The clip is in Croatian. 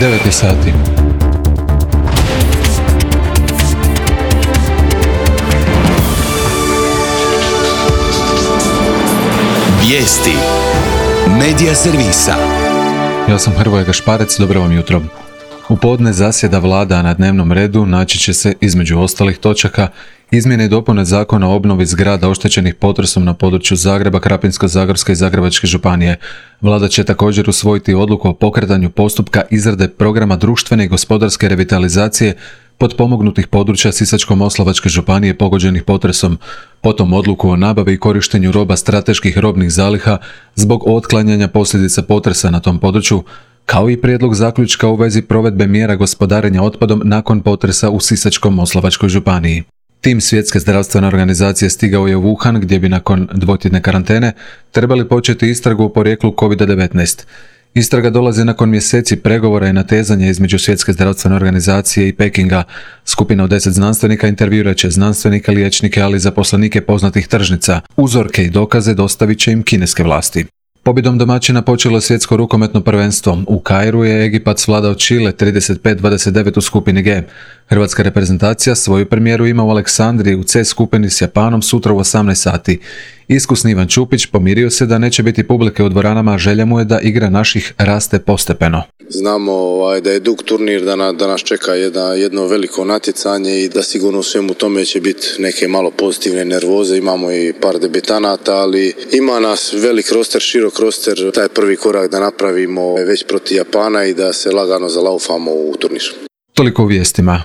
9 sati. Vijesti Medija servisa. Ja sam Hrvoje Gašparec, dobro vam jutro. U podne zasjeda vlada, a na dnevnom redu naći će se, između ostalih točaka, izmjene i dopune zakona o obnovi zgrada oštećenih potresom na području Zagreba, Krapinsko-zagorske i Zagrebačke županije. Vlada će također usvojiti odluku o pokretanju postupka izrade programa društvene i gospodarske revitalizacije potpomognutih područja Sisačko-moslavačke županije pogođenih potresom, potom odluku o nabavi i korištenju roba strateških robnih zaliha zbog otklanjanja posljedica potresa na tom području, kao i prijedlog zaključka u vezi provedbe mjera gospodarenja otpadom nakon potresa u Sisačko-moslavačkoj županiji. Tim Svjetske zdravstvene organizacije stigao je u Wuhan, gdje bi nakon dvotjedne karantene trebali početi istragu o porijeklu COVID-19. Istraga dolazi nakon mjeseci pregovora i natezanja između Svjetske zdravstvene organizacije i Pekinga. Skupina od 10 znanstvenika intervjuirat će znanstvenike, liječnike, ali i zaposlenike poznatih tržnica. Uzorke i dokaze dostavit će im kineske vlasti. Pobjedom domaćina počelo svjetsko rukometno prvenstvo. U Kairu je Egipat svladao Čile 35-29 u skupini G. Hrvatska reprezentacija svoju premijeru ima u Aleksandriji u C skupini s Japanom sutra u 18 sati. Iskusni Ivan Čupić pomirio se da neće biti publike u dvoranama, a želja mu je da igra naših raste postepeno. Znamo da je dug turnir, da nas čeka jedno veliko natjecanje i da sigurno u svemu tome će biti neke malo pozitivne nervoze. Imamo i par debitanata, ali ima nas velik roster, širok roster. Taj prvi korak da napravimo već protiv Japana i da se lagano zalaufamo u turnir. Toliko u vijestima.